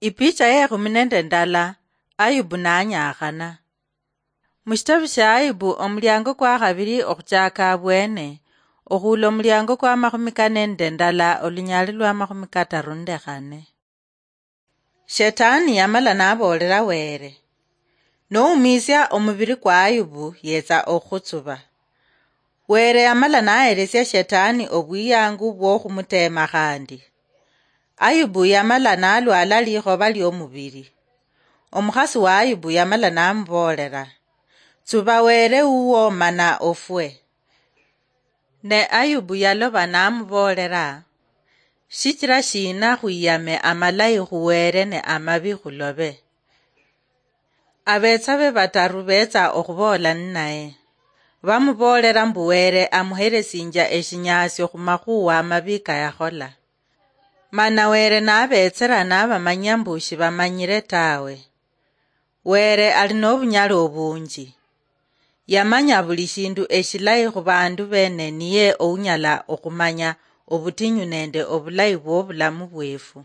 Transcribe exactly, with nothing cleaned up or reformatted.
Ipicha yekhumi nende ndala. Ayubu nanyakhana. Mushitabu sha Ayubu, omuliango kwa khabili okhuchaka abwene, okhula omuliango kwa makhumi kane nende ndala, olunyali lwa makhumi kataru nende khane. Shetani yamala naboolela Were, "Noumiisia omubili kwa Ayubu, yetsa okhutsuba." Were yamala naheresia Shetani obwiyangu bwokhumuteema khandi. Ayubu yamala nalwala likhoba liomubili. Omukhasi wa Ayubu yamala namuboolela, "Tsuba Were wuwo mana ofwe." Ne Ayubu yaloba namuboolela, "Shichila shina khwiyame amalayi khu Were ne amabi khulobe?" Abetsa be bataru betsa okhuboola ninaye. Bamuboolela mbu Were amuhelesinjia eshinyaasio khumakhuwa amabi kayakhola. Mana Were nabetsela nabamanyia mbu shibamanyile tawe. Were ali nobunyali obunji. Yamanya buli shindu eshilayi khubandu bene, niye ounyala okhumanya obutinyu nende obulayi bwobulamu bwefu.